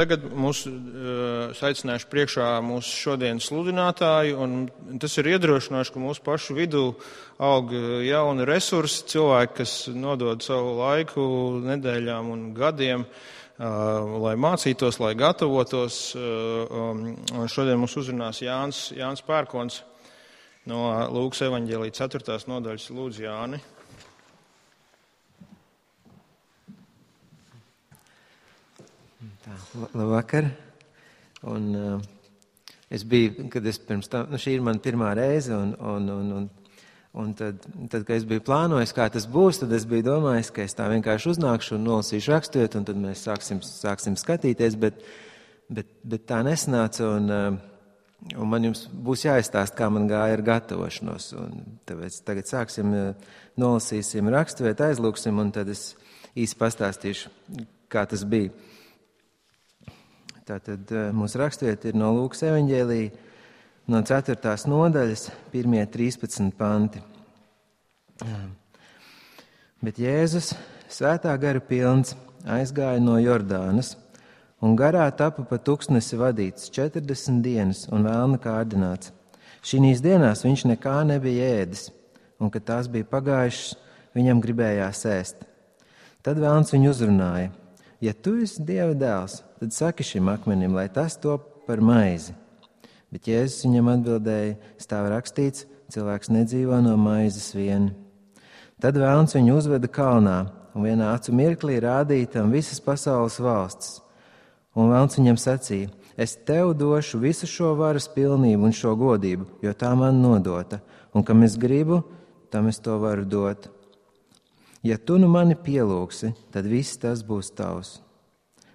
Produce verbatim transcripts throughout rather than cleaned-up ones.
Tagad mūs uh, aicināšu priekšā mūsu šodienas sludinātāju, un tas ir iedrošinoši, ka mūsu pašu vidū aug jauni resursi, cilvēki, kas nodod savu laiku nedēļām un gadiem, uh, lai mācītos, lai gatavotos. Uh, um, un šodien mums uzrunās Jānis, Jānis Pērkons no Lūkas evaņģēlija ceturtās nodaļas. Lūdzu, Jāni. Labvakar. Un, uh, es biju, kad es pirms tam, nu šī ir mana pirmā reize, un, un, un, un, un tad, tad, kad es biju plānojis, kā tas būs, tad es biju domājis, ka es tā vienkārši uznākšu un nolasīšu raksturvietu, un tad mēs sāksim, sāksim skatīties, bet, bet, bet tā nesanāca, un, uh, un man jums būs jāizstāst, kā man gāja ar gatavošanos. Un tāpēc tagad sāksim, uh, nolasīsim raksturvietu, aizlūksim, un tad es īsi pastāstīšu, kā tas bija. Tātad mūsu rakstvieta ir no Lūkas evaņģēlija, no ceturtās nodaļas, pirmie trīspadsmit panti. Bet Jēzus, svētā gara pilns, aizgāja no Jordānas, un garā tapa pa tuksnesi vadīts četrdesmit dienas un vēlna kārdināts. Šīs dienās viņš nekā nebija ēdis, un kad tās bija pagājušas, viņam gribējās ēst. Tad vēlns viņu uzrunāja: ja tu esi Dieva dēls, tad saki šim akmenim, lai tas top par maizi. Bet Jēzus viņam atbildēja: stāv rakstīts, cilvēks nedzīvo no maizes vien. Tad vēlns viņu uzveda kalnā, un vienā acu mirklī rādīja tam visas pasaules valsts. Un vēlns viņam sacīja: es tev došu visu šo varas pilnību un šo godību, jo tā man nodota, un kam es gribu, tam es to varu dot. Ja tu nu mani pielūgsi, tad viss tas būs tavs.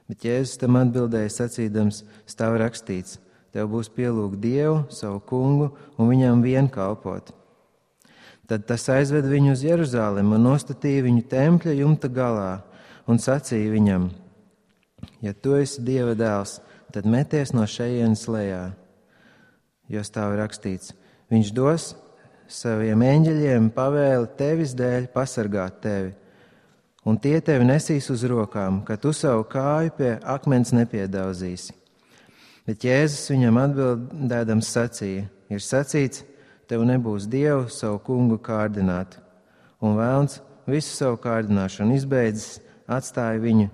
Bet Jēzus tam atbildēja sacīdams: stāv rakstīts, tev būs pielūgt Dievu, savu kungu, un viņam vien kalpot. Tad tas aizved viņu uz Jeruzalemi un nostatīja viņu tempļa jumta galā un sacīja viņam: ja tu esi Dieva dēls, tad meties no šejienes lejā. Jo stāv rakstīts, viņš dos saviem eņģeļiem pavēli tevis dēļ pasargāt tevi, un tie tevi nesīs uz rokām, ka tu savu kāju pie akmens nepiedauzīsi. Bet Jēzus viņam atbildēdams sacīja: ir sacīts, tev nebūs Dievu savu kungu kārdināt. Un vēlns visu savu kārdināšanu izbeidzis, atstāja viņu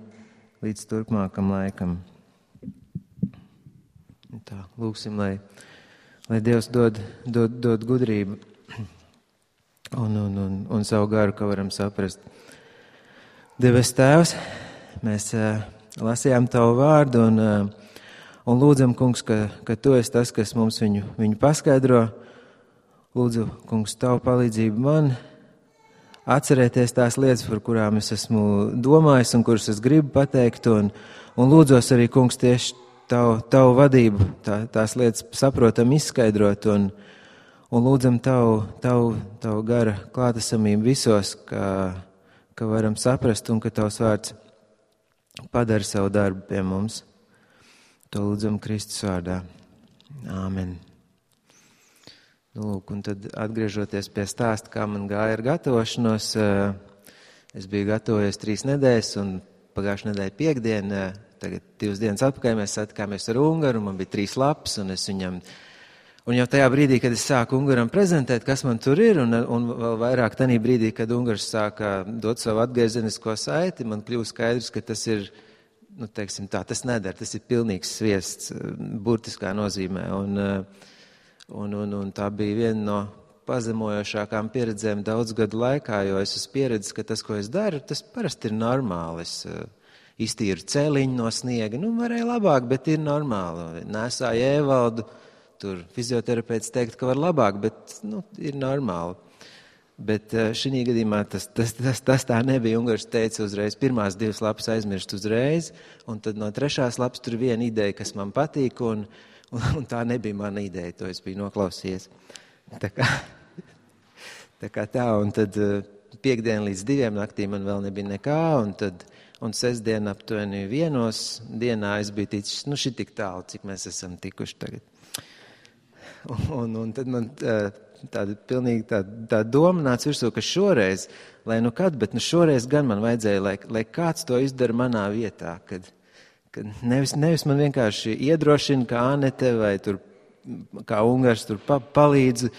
līdz turpmākam laikam. Tā, lūksim, lai, lai Dievs dod, dod, dod gudrību un, un, un, un savu garu, ka varam saprast. Debes Tēvs, mēs uh, lasījām Tavu vārdu un, uh, un lūdzam, Kungs, ka, ka Tu esi tas, kas mums viņu, viņu paskaidro. Lūdzu, Kungs, Tavu palīdzību man atcerēties tās lietas, par kurām es esmu domājis un kuras es gribu pateikt, un, un lūdzos arī, Kungs, tieši Tavu, tavu vadību, tā, tās lietas saprotam izskaidrot, un, un lūdzam Tavu, tavu, tavu gara klātesamību visos, ka, ka varam saprast un ka Tavs vārds padara savu darbu pie mums. To lūdzam Kristus vārdā. Āmen. Nu, lūk, un tad atgriežoties pie stāsta, kā man gāja ar gatavošanos, es biju gatavojies trīs nedēļas, un pagājušā nedēļa piekdiena, tagad divas dienas atpakaļ mēs satikāmies ar Ungaru, man bija trīs lapas, un es viņam, un jau tajā brīdī, kad es sāku Ungaram prezentēt, kas man tur ir, un, un vēl vairāk tanī brīdī, kad Ungars sāka dot savu atgriezenisko saiti, man kļūst skaidrs, ka tas ir, nu, teiksim tā, tas nedara, tas ir pilnīgs sviests, burtiskā nozīmē, un, un, un, un tā bija viena no pazemojošākām pieredzēm daudz gadu laikā, jo es esmu pieredzis, ka tas, ko es daru, tas parasti ir normāli. Es iztīru celiņu no sniega, nu, varēja labāk, bet ir normāli. Nesāju ēvaldu, tur fizioterapeits teikt, ka var labāk, bet, nu, ir normāli. Bet šī gadījumā tas, tas, tas, tas tā nebija. Ungars teica uzreiz, pirmās divas lapas aizmirst uzreiz, un tad no trešās lapas tur viena ideja, kas man patīk, un, un, un tā nebija mana ideja, to es biju noklausījies. Tā kā tā, kā tā un tad piekdien līdz diviem naktī man vēl nebija nekā, un tad Un sestdien aptuveni vienos dienā es biju ticis, nu, šī tik tālu, cik mēs esam tikuši tagad. Un, un, un tad man tāda pilnīgi tā, tā doma nāca virsū, ka šoreiz, lai nu kad, bet nu šoreiz gan man vajadzēja, lai, lai kāds to izdara manā vietā, kad, ka nevis, nevis man vienkārši iedrošina, kā Anete vai tur, kā Ungars tur pa, palīdz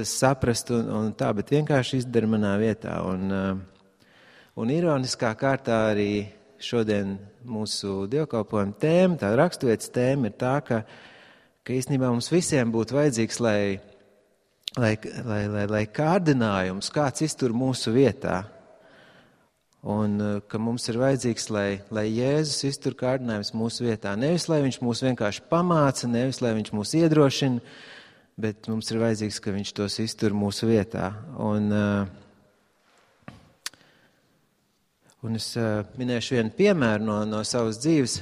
saprast un, un tā, bet vienkārši izdara manā vietā. Un, un ironiskā kārtā arī šodien mūsu dievkalpojuma tēma, tā raksturvietas tēma ir tā, ka, ka īstenībā mums visiem būtu vajadzīgs, lai, lai, lai, lai, lai kārdinājums kāds iztur mūsu vietā. Un ka mums ir vajadzīgs, lai, lai Jēzus iztur kārdinājums mūsu vietā. Nevis, lai viņš mūs vienkārši pamāca, nevis, lai viņš mūs iedrošina, bet mums ir vajadzīgs, ka viņš tos iztur mūsu vietā. Un, un es minēšu vienu piemēru no, no savas dzīves.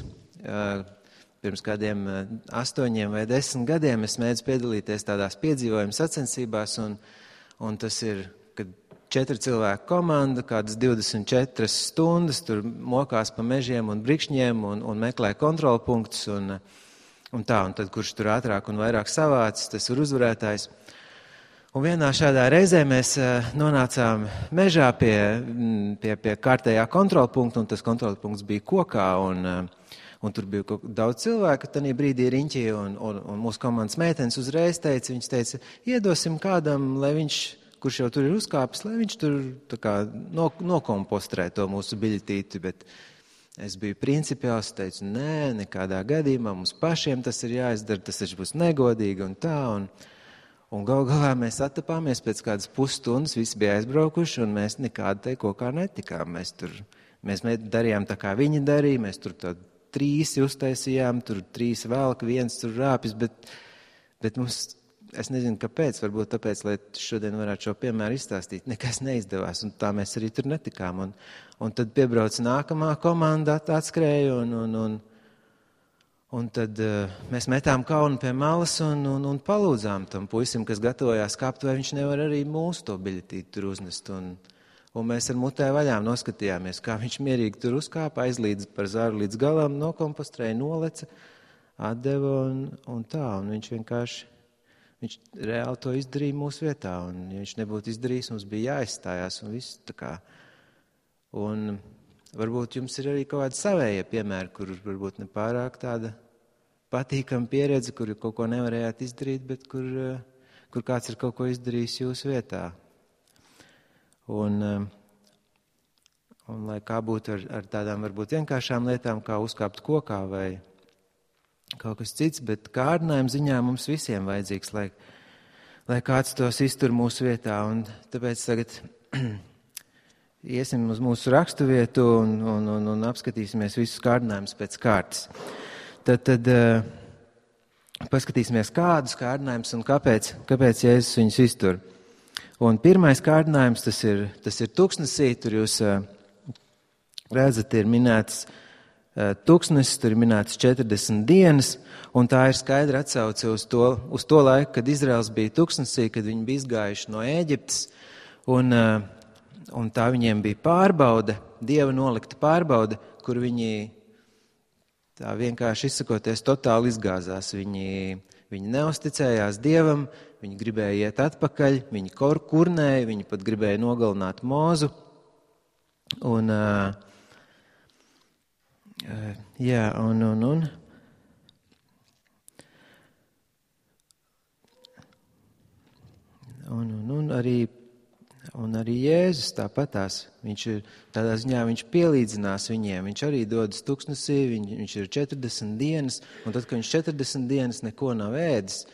Pirms kādiem astoņiem vai desmit gadiem es mēdzu piedalīties tādās piedzīvojuma sacensībās, un, un tas ir, kad četri cilvēku komanda, kādas divdesmit četras stundas, tur mokās pa mežiem un brikšņiem un, un meklē kontrolpunktus un, un tā, un tad kurš tur ātrāk un vairāk savācis, tas ir uzvarētājs. Un vienā šādā reizē mēs nonācām mežā pie, pie, pie kārtējā kontrolpunkta, un tas kontrolpunkts bija kokā, un, un tur bija daudz cilvēku, tanī brīdī riņķī, un, un, un mūsu komandas meitenes uzreiz teica, viņas teica, iedosim kādam, lai viņš, kurš jau tur ir uzkāpis, lai viņš tur tā kā nokompostrē to mūsu biļetīti, bet es biju principiāls, teicu, nē, nekādā gadījumā, mums pašiem tas ir jāizdara, tas taču būs negodīgi un tā, un, un gal galā mēs attapāmies pēc kādas pusstundas, visi bija aizbraukuši, un mēs nekādu te kokā netikām, mēs tur, mēs darījām tā kā viņi darīja, mēs tur tādu trīsi uztaisījām, tur trīs velk, viens tur rāpis, bet, bet mums, es nezinu, kāpēc, varbūt tāpēc, lai šodien varētu šo piemēru izstāstīt, nekas neizdevās, un tā mēs arī tur netikām. Un, un tad piebrauc nākamā komanda, atskrēja, un, un, un, un tad uh, mēs metām kaunu pie malas un, un, un palūdzām tam puisim, kas gatavojās kāpt, vai viņš nevar arī mūsu to biļetīti tur uznest. Un, un mēs ar mutē vaļām noskatījāmies, kā viņš mierīgi tur uzkāpa, aizlīdz par zaru līdz galam, nokompostrēja, noleca, atdeva un, un tā, un viņš vienkārši Viņš reāli to izdarīja mūsu vietā, un ja viņš nebūtu izdarījis, mums bija jāizstājās un viss tā kā. Un varbūt jums ir arī kaut kādi savējie piemēri, kur varbūt nepārāk tāda patīkama pieredze, kur kaut ko nevarējāt izdarīt, bet kur, kur kāds ir kaut ko izdarījis jūsu vietā. Un, un lai kā būtu ar, ar tādām varbūt vienkāršām lietām, kā uzkāpt kokā vai kaut kas cits, bet kārdinājuma ziņā mums visiem vajadzīgs, lai, lai kāds tos iztur mūsu vietā. Un tāpēc tagad iesim uz mūsu raksturvietu un, un, un, un apskatīsimies visus kārdinājumus pēc kārtas. Tad, tad uh, paskatīsimies, kādus kārdinājumus un kāpēc, kāpēc Jēzus viņus iztur. Un pirmais kārdinājums, tas ir, tas ir tuksnesī, tur jūs uh, redzat, ir minēts Tuksnesis, tur ir minēts četrdesmit dienas, un tā ir skaidra atsauce uz to, uz to laiku, kad Izraels bija tuksnesī, kad viņi bija izgājuši no Ēģiptes, un, un tā viņiem bija pārbaude, Dieva nolikta pārbaude, kur viņi tā vienkārši izsakoties totāli izgāzās. Viņi, viņi neusticējās Dievam, viņi gribēja iet atpakaļ, viņi kurnēja, viņi pat gribēja nogalināt Mozu, un Uh, jā, un, un, un. Un, un, un arī, un arī Jēzus tāpatās. Viņš ir, tādā ziņā viņš pielīdzinās viņiem. Viņš arī dodas tuksnesī, viņ, viņš ir četrdesmit dienas, un tad, kad viņš četrdesmit dienas neko nav ēdis,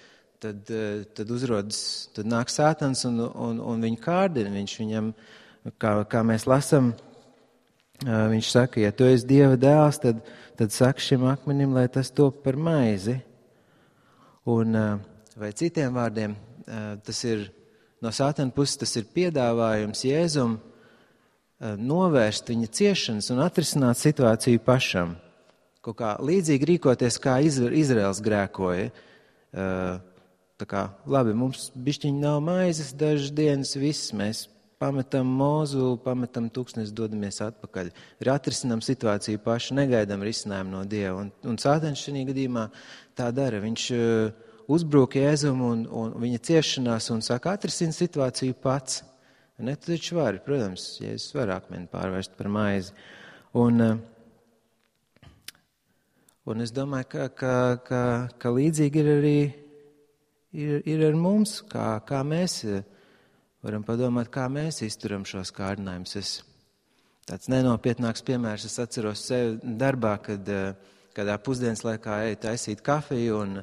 tad, tad uzrodas, tad nāk Sātans un, un, un viņu kārdina. Viņš viņam, kā, kā mēs lasam, viņš saka, ja tu esi Dieva dēls, tad, tad saka šim akmenim, lai tas top par maizi. Un, vai citiem vārdiem, tas ir no Sātana puses, tas ir piedāvājums Jēzum novērst viņa ciešanas un atrisināt situāciju pašam. Kaut kā līdzīgi rīkoties, kā Izraels grēkoja. Tā kā, labi, mums bišķiņi nav maizes dažas dienas, viss mēs pametam Mozu, pametam tuksnesi, dodamies atpakaļ. Ir atrisinām situāciju paši, negaidām risinājumu no Dieva. Un, un Sātans šajā gadījumā tā dara. Viņš uh, uzbrūk Jēzum un, un viņa ciešanās un saka, atrisina situāciju pats. Ne, tu taču vari, protams, Jēzus var akmeni pārvērst par maizi. Un, uh, Un es domāju, ka, ka, ka, ka līdzīgi ir arī ir, ir ar mums, kā, kā mēs varam padomāt, kā mēs izturam šos kārdinājumus. Es tāds nenopietnāks piemērs, es atceros sevi darbā, kad kādā pusdienas laikā eju taisīt kafiju, un,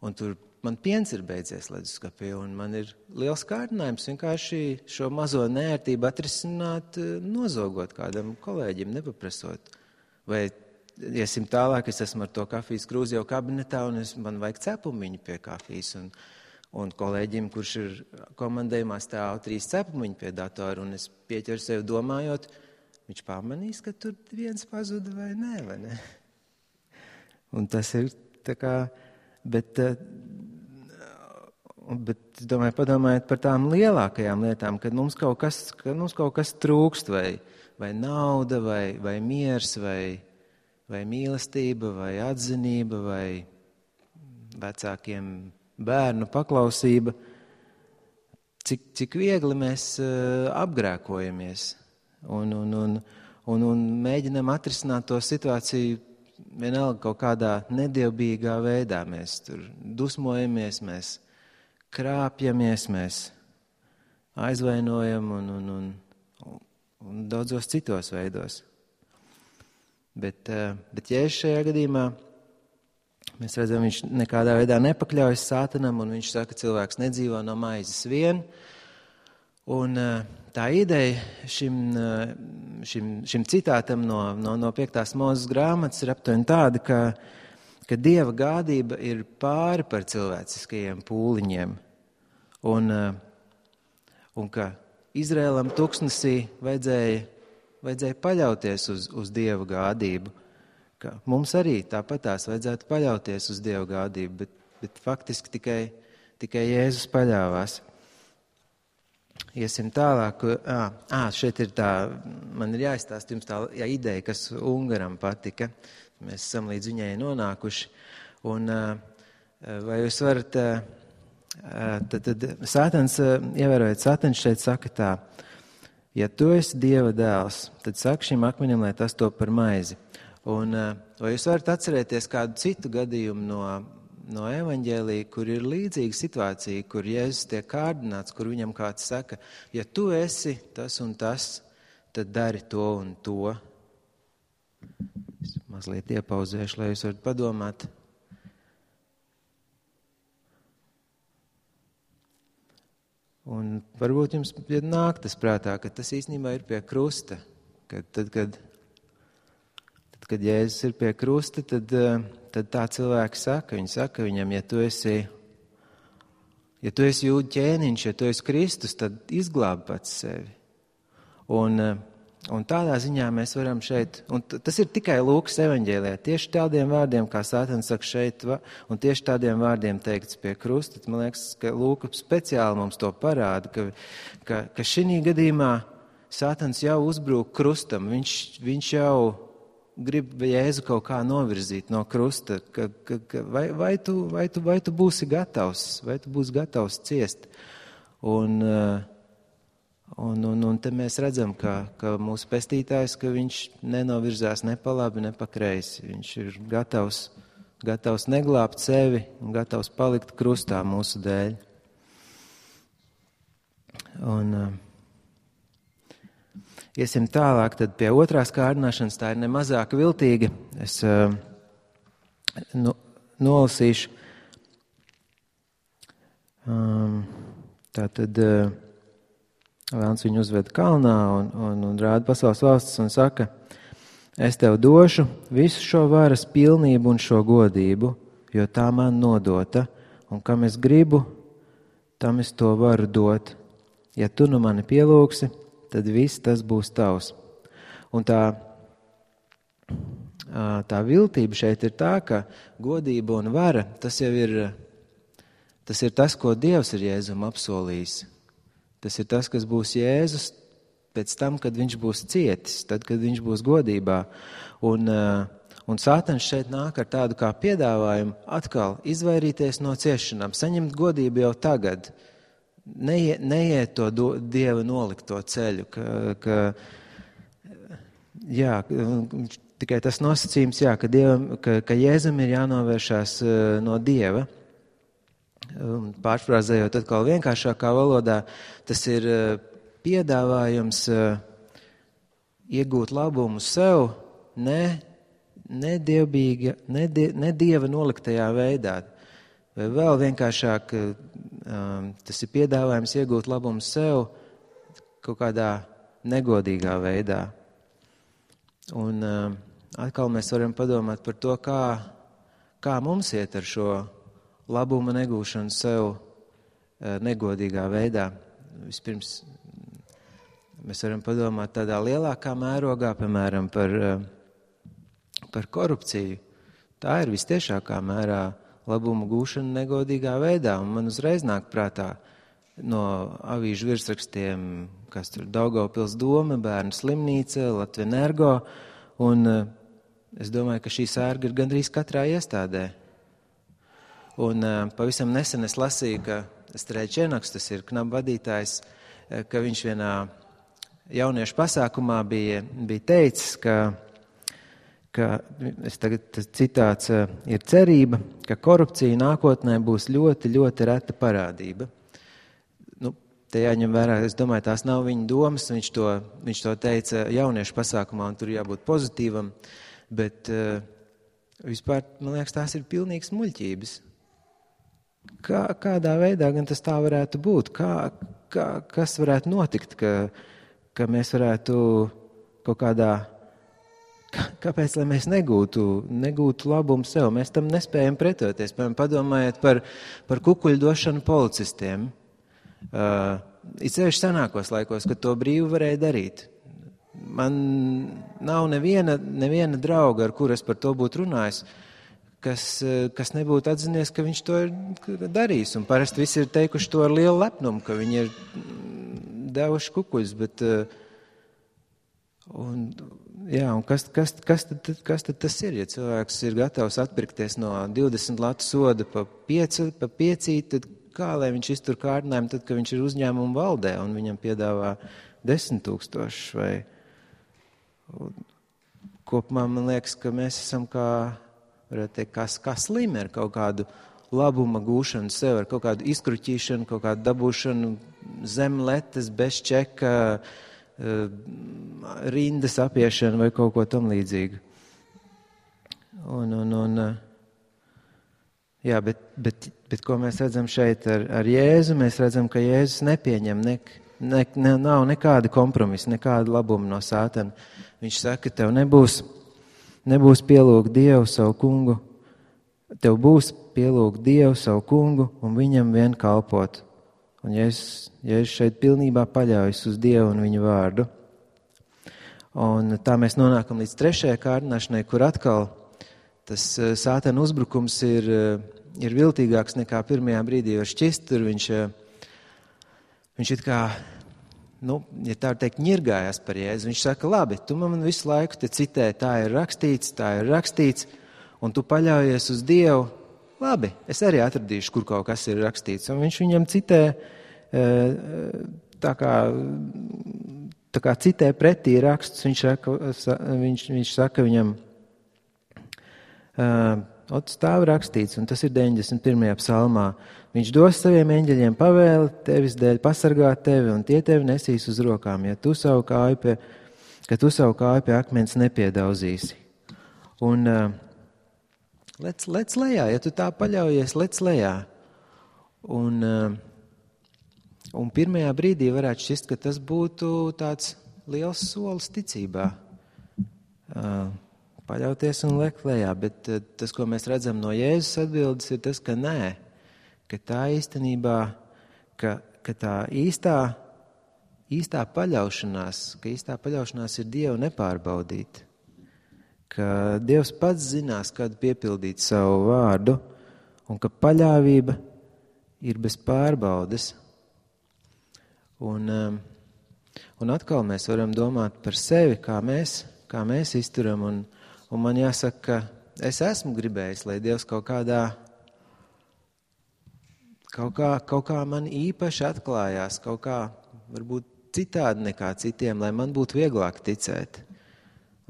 un tur man piens ir beidzies leduskapī, un man ir liels kārdinājums vienkārši šo mazo neērtību atrisināt, nozogot kādam kolēģim, nepaprasot. Vai iesim tālāk, es esmu ar to kafijas krūzi jau kabinetā, un es, man vajag cepumiņu pie kafijas, un, un kolēģim, kurš ir komandējumā, stāv trīs cepumiņu pie datora, un es pieķeru sevi domājot, viņš pamanīs, ka tur viens pazuda vai nē, vai ne? Un tas ir tā kā, bet, bet domāju, padomājiet par tām lielākajām lietām, kad mums kaut kas, kad mums kaut kas trūkst, vai, vai nauda, vai, vai miers, vai, vai mīlestība, vai atzinība, vai vecākiem bērnu paklausība. Cik, cik viegli mēs uh, apgrēkojamies un, un, un, un, un mēģinam atrisināt to situāciju vienalga kaut kādā nedievbijīgā veidā. Mēs tur dusmojamies, mēs krāpjamies, mēs aizvainojam un, un, un, un daudzos citos veidos. Bet, bet Jēzus šajā gadījumā, mēs redzam, viņš nekādā veidā nepakļaujas Sātanam, un viņš saka, cilvēks nedzīvo no maizes vien. Un tā ideja šim, šim, šim citātam no, no, no piektās Mūzes grāmatas ir aptuveni tāda, ka, ka Dieva gādība ir pāri par cilvēciskajiem pūliņiem. Un, un ka Izraēlam tuksnesī vajadzēja, vajadzēja paļauties uz, uz Dieva gādību. Ka mums arī tāpatās vajadzētu paļauties uz Dieva gādību, bet, bet faktiski tikai, tikai Jēzus paļāvās. Iesim tālāk. Ā, ā, šeit ir tā, man ir jāizstāst jums tā jā, ideja, kas Ungaram patika. Mēs esam līdz viņai nonākuši. Un vai jūs varat, tad, tad Sātans, ievērojot, Sātans šeit saka tā, ja tu esi Dieva dēls, tad saka šim akmenim, lai tas top par maizi. Un vai jūs varat atcerēties kādu citu gadījumu no, no evaņģēlija, kur ir līdzīga situācija, kur Jēzus tiek kārdināts, kur viņam kāds saka, ja tu esi tas un tas, tad dari to un to. Es mazliet iepauzēšu, lai jūs varat padomāt. Un varbūt jums nāk tas prātā, ka tas īstenībā ir pie krusta, kad tad, kad Kad Jēzus ir pie krusta, tad, tad tā cilvēki saka, viņi saka viņam, ja tu esi, ja tu esi jūdu ķēniņš, ja tu esi Kristus, tad izglābi pats sevi. Un, un tādā ziņā mēs varam šeit, un tas ir tikai Lūkas evaņģēlijā, tieši tādiem vārdiem, kā Sātans saka šeit, un tieši tādiem vārdiem teikts pie krusta. Man liekas, ka Lūka speciāli mums to parāda, ka, ka, ka šī gadījumā Sātans jau uzbrūk krustam, viņš, viņš jau grib Jēzu kaut kā novirzīt no krusta, ka, ka, ka vai, vai, tu, vai, tu, vai tu būsi gatavs, vai tu būsi gatavs ciest. Un, un, un, un te mēs redzam, ka, ka mūsu pestītājs, ka viņš nenovirzās ne pa labi, ne pa kreisi. Viņš ir gatavs, gatavs neglābt sevi un gatavs palikt krustā mūsu dēļ. Un iesim tālāk, tad pie otrās kārdināšanas, tā ir nemazāk viltīga. Es uh, nu, nolasīšu. Um, tā tad uh, Vēlns viņu uzved kalnā un, un, un rāda pasaules valstis un saka, es tev došu visu šo varas pilnību un šo godību, jo tā man nodota, un kam es gribu, tam es to varu dot. Ja tu nu mani pielūgsi, tad viss tas būs tavs. Un tā, tā viltība šeit ir tā, ka godība un vara, tas jau ir tas, ir tas ko Dievs ir Jēzum apsolījis. Tas ir tas, kas būs Jēzus pēc tam, kad viņš būs cietis, tad, kad viņš būs godībā. Un, un Sātans šeit nāk ar tādu kā piedāvājumu atkal izvairīties no ciešanām, saņemt godību jau tagad. Neiet, neiet to do, Dieva nolikto ceļu, ka, ka jā, tikai tas nosacījums, jā, ka, dievam, ka, ka Jēzum ir jānovēršās no Dieva. Pārfrāzējot atkal vienkāršākā valodā, tas ir piedāvājums iegūt labumu sev, ne, ne, dievbīga, ne, die, ne Dieva noliktajā veidā. Vai vēl vienkāršāk, tas ir piedāvājums iegūt labumu sev kaut kādā negodīgā veidā. Un atkal mēs varam padomāt par to, kā, kā mums iet ar šo labuma negūšanu sev negodīgā veidā. Vispirms mēs varam padomāt tādā lielākā mērogā, piemēram, par, par korupciju. Tā ir vistiešākā mērā labuma gūšana negodīgā veidā, un man uzreiz nāk prātā no avīžu virsrakstiem, kas tur Daugavpils doma, Bērnu slimnīca, Latvenergo, un es domāju, ka šī sērga ir gandrīz katrā iestādē. Un pavisam nesen es lasīju, ka Strēčenaks, tas ir knaba vadītājs, ka viņš vienā jauniešu pasākumā bija, bija teicis, ka, ka es tagad, tas citāts ir cerība, ka korupcija nākotnē būs ļoti, ļoti reta parādība. Nu, te jāņem vērā, es domāju, tās nav viņa domas, viņš to, viņš to teica jauniešu pasākumā, un tur jābūt pozitīvam, bet vispār, man liekas, tās ir pilnīgas muļķības. Kā, kādā veidā gan tas tā varētu būt? Kā, kā, kas varētu notikt, ka, ka mēs varētu kaut kādā, kā, kāpēc, lai mēs negūtu, negūtu labumu sev? Mēs tam nespējam pretoties. Piemēram, padomājiet par, par kukuļu došanu policistiem. Uh, it sevišķi senākos laikos, kad to brīvi varēja darīt. Man nav neviena, neviena drauga, ar kur es par to būtu runājis, Kas, kas nebūtu atzinies, ka viņš to ir darījis. Un parasti visi ir teikuši to ar lielu lepnumu, ka viņi ir devuši kukuļus. Bet, un, jā, un kas, kas, kas, tad, kas tad tas ir? Ja cilvēks ir gatavs atpirkties no divdesmit latu soda pa, pieci, pa piecīt, tad kā lai viņš iztur kārdinājumu, tad, kad viņš ir uzņēmuma valdē un viņam piedāvā desmit tūkstošus? Vai... Kopumā man liekas, ka mēs esam kā... varētu teikt, kā, kā slimi ar kaut kādu labuma gūšanu sev, ar kaut kādu izkruķīšanu, kaut kādu dabūšanu zem letes, bez čeka, rindas apiešanu vai kaut ko tam līdzīgu. Un, un, un, jā, bet, bet, bet ko mēs redzam šeit ar, ar Jēzu? Mēs redzam, ka Jēzus nepieņem, ne, ne, ne, nav nekāda kompromisa, nekāda labuma no Sātana. Viņš saka, tev nebūs Nebūs pielūgt Dievu savu kungu, tev būs pielūgt Dievu savu kungu un viņam vien kalpot. Un Jēzus, Jēzus šeit pilnībā paļaujas uz Dievu un viņu vārdu. Un tā mēs nonākam līdz trešajai kārdināšanai, kur atkal tas Sātana uzbrukums ir, ir viltīgāks nekā pirmajā brīdī var šķist. Tur viņš, viņš it kā... Nu, ja tā teikt, ņirgājās par Jēzu, viņš saka, labi, tu man visu laiku te citē, tā ir rakstīts, tā ir rakstīts, un tu paļaujies uz Dievu, labi, es arī atradīšu, kur kaut kas ir rakstīts. Un viņš viņam citē, tā kā, tā kā citē pretī rakstus, viņš saka, viņš, viņš saka viņam, ot, stāv rakstīts, un tas ir deviņdesmit pirmajā psalmā. Viņš dos saviem eņģeļiem pavēli tevis dēļ pasargāt tevi, un tie tevi nesīs uz rokām, ja tu savu kāju pie, ka tu savu kāju pie akmens nepiedauzīsi. Un uh, lec, lec lejā, ja tu tā paļaujies, lec lejā. Un, uh, un pirmajā brīdī varētu šķist, ka tas būtu tāds liels solis ticībā. Uh, paļauties un lekt lejā, bet uh, tas, ko mēs redzam no Jēzus atbildes, ir tas, ka nē. Ka tā īstenībā, ka, ka tā īstā, īstā paļaušanās, ka īstā paļaušanās ir Dievu nepārbaudīt. Ka Dievs pats zinās, kad piepildīt savu vārdu, un ka paļāvība ir bez pārbaudes. Un, un atkal mēs varam domāt par sevi, kā mēs, kā mēs izturam, un, un man jāsaka, ka es esmu gribējis, lai Dievs kaut kādā Kaut kā, kaut kā man īpaši atklājās, kaut kā varbūt citādi nekā citiem, lai man būtu vieglāk ticēt.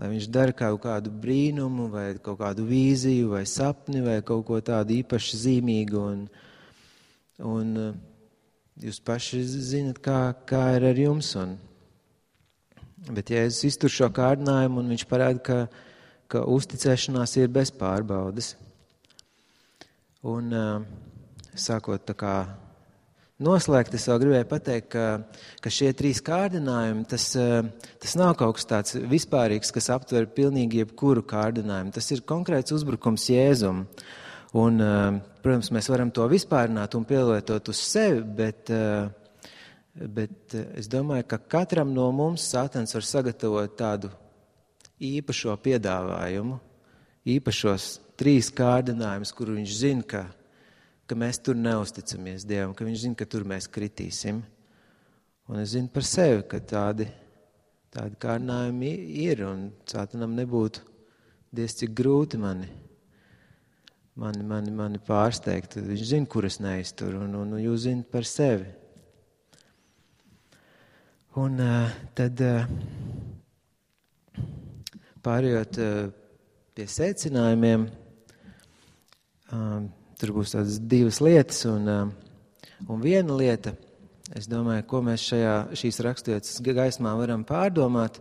lai viņš dara kaut kādu brīnumu, vai kaut kādu vīziju, vai sapni, vai kaut ko tādu īpaši zīmīgu. Un, un jūs paši zinat, kā, kā ir ar jums. Un, bet Jēzus iztur šo kārdinājumu, un viņš parāda, ka, ka uzticēšanās ir bez pārbaudes. Un sākot tā kā noslēgt, es vēl gribēju pateikt, ka, ka šie trīs kārdinājumi, tas, tas nav kaut kas tāds vispārīgs, kas aptver pilnīgi jebkuru kārdinājumu. Tas ir konkrēts uzbrukums Jēzum. Un, protams, mēs varam to vispārināt un pielietot uz sevi, bet, bet es domāju, ka katram no mums Sātans var sagatavot tādu īpašo piedāvājumu, īpašos trīs kārdinājumus, kuru viņš zina, ka ka mēs tur neusticamies Dievam, ka viņš zina, ka tur mēs kritīsim. Un es zinu par sevi, ka tādi, tādi kārdinājumi ir, un Sātanam nebūtu diez cik grūti mani, mani, mani, mani pārsteigt. Viņš zina, kur es neizturu, un, un jūs zinat par sevi. Un uh, tad uh, pārējot uh, pie secinājumiem, uh, tur būs tādas divas lietas, un, un viena lieta, es domāju, ko mēs šajā, šīs raksturvietas gaismā varam pārdomāt,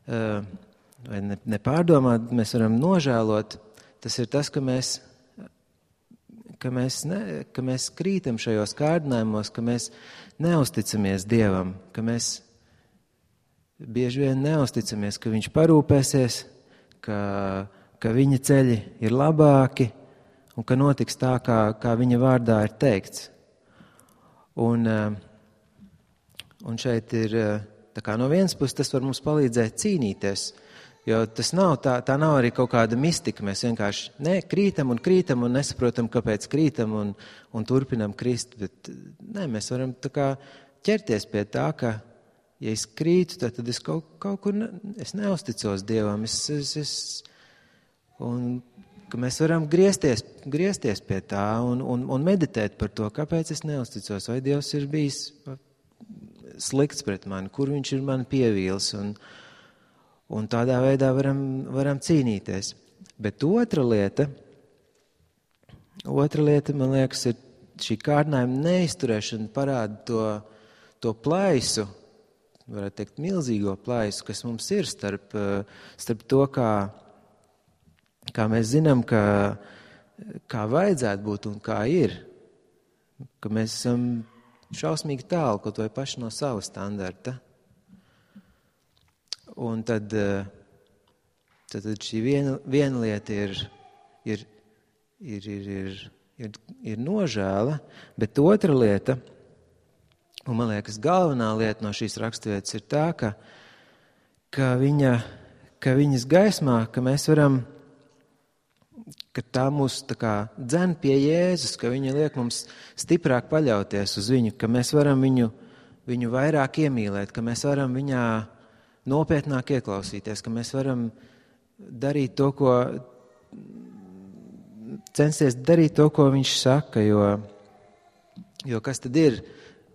vai ne, nepārdomāt, mēs varam nožēlot, tas ir tas, ka mēs, ka mēs, ne, ka mēs krītam šajos kārdinājumos, ka mēs neusticamies Dievam, ka mēs bieži vien neusticamies, ka viņš parūpēsies, ka, ka viņa ceļi ir labāki, un ka notiks tā, kā, kā viņa vārdā ir teikts. Un, un šeit ir, tā kā no vienas puses tas var mums palīdzēt cīnīties, jo tas nav, tā, tā nav arī kaut kāda mistika. Mēs vienkārši ne, krītam un krītam un nesaprotam, kāpēc krītam un, un turpinam krist, bet ne, mēs varam tā kā ķerties pie tā, ka, ja es krītu, tad, tad es kaut, kaut kur, ne, es neusticos Dievam, es, es, es un ka mēs varam griezties, griezties pie tā un, un, un meditēt par to, kāpēc es neusticos, vai Dievs ir bijis slikts pret mani, kur viņš ir mani pievīlis, un, un tādā veidā varam, varam cīnīties. Bet otra lieta, otra lieta, man liekas, ir šī kārdinājuma neizturēšana parāda to, to plaisu, varētu teikt, milzīgo plaisu, kas mums ir starp, starp to, kā kā mēs zinām, ka, kā vajadzētu būt un kā ir, ka mēs esam šausmīgi tālu, kaut vai paši no sava standarta. Un tad, tad, tad šī viena, viena lieta ir, ir, ir, ir, ir, ir, ir nožēla, bet otra lieta, un man liekas galvenā lieta no šīs raksturvietas ir tā, ka, ka, viņa, ka viņas gaismā, ka mēs varam ka tā mūs tā kā dzen pie Jēzus, ka viņa liek mums stiprāk paļauties uz viņu, ka mēs varam viņu, viņu vairāk iemīlēt, ka mēs varam viņā nopietnāk ieklausīties, ka mēs varam darīt to, ko, censties darīt to, ko viņš saka, jo, jo kas tad ir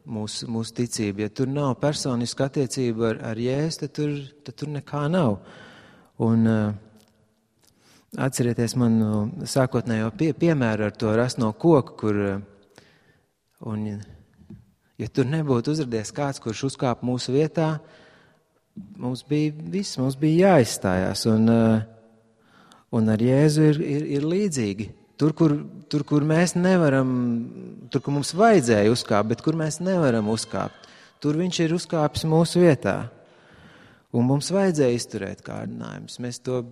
mūsu, mūsu ticība? Ja tur nav personiska attiecība ar, ar Jēzu, tad tur, tad tur nekā nav. Un atcerieties manu sākotnējo pie, piemēru ar to rasno koku, kur, un, ja tur nebūtu uzradies kāds, kurš uzkāpa mūsu vietā, mums bija viss, mums bija jāizstājās, un, un ar Jēzu ir, ir, ir līdzīgi. Tur kur, tur, kur mēs nevaram, tur, kur mums vajadzēja uzkāpt, bet kur mēs nevaram uzkāpt, tur viņš ir uzkāpis mūsu vietā. Un mums vajadzēja izturēt kārdinājumus. Mēs to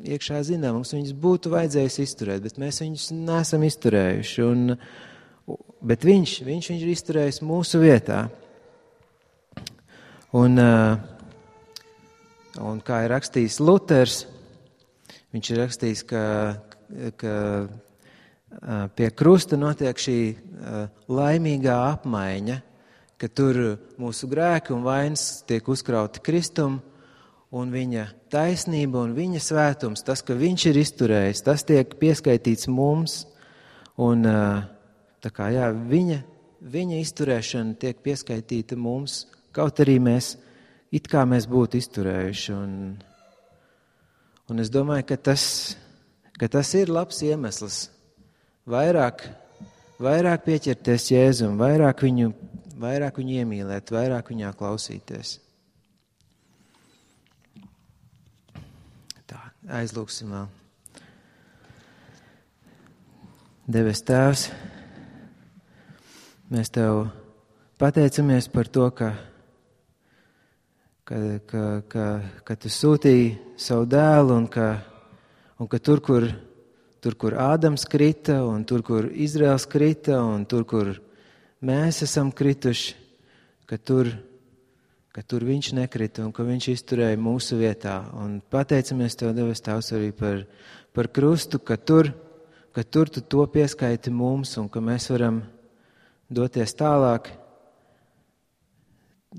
iekšā zinām, mums viņus būtu vajadzējis izturēt, bet mēs viņus neesam izturējuši. Un, bet viņš, viņš, viņš ir izturējis mūsu vietā. Un, un kā ir rakstījis Luters, viņš ir rakstījis, ka, ka pie krusta notiek šī laimīgā apmaiņa, ka tur mūsu grēki un vainas tiek uzkrauti Kristum, un viņa taisnība un viņa svētums, tas, ka viņš ir izturējis, tas tiek pieskaitīts mums, un tā kā jā, viņa, viņa izturēšana tiek pieskaitīta mums, kaut arī mēs, it kā mēs būtu izturējuši, un, Un es domāju, ka tas, ka tas ir labs iemesls vairāk, vairāk pieķerties Jēzum, vairāk viņu, vairāk viņu iemīlēt, vairāk viņā klausīties. Tā, aizlūksim vēl. Debes Tēvs, mēs Tev pateicamies par to, ka, ka, ka, ka, ka Tu sūtīji savu dēlu un ka, un ka tur, kur, tur, kur Ādams krita un tur, kur Izraels krita un tur, kur mēs esam krituši, ka tur, ka tur viņš nekrita un ka viņš izturēja mūsu vietā. Un pateicamies Tev, Debes Tēvs, arī par, par krustu, ka tur, ka tur Tu to pieskaiti mums un ka mēs varam doties tālāk,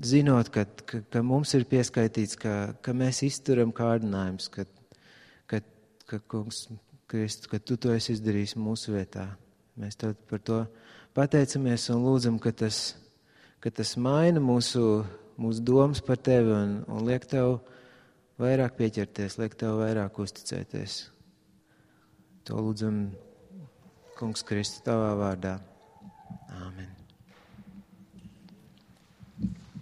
zinot, ka, ka, ka mums ir pieskaitīts, ka, ka mēs izturam kārdinājumus, ka, ka, ka, kungs, Kristu, ka Tu to esi izdarījis mūsu vietā. Mēs Tev par to pateicamies un lūdzam, ka tas, ka tas maina mūsu, mūsu domas par Tevi un, un liek Tev vairāk pieķerties, liek Tev vairāk uzticēties. To lūdzam, Kungs Kristu, Tavā vārdā.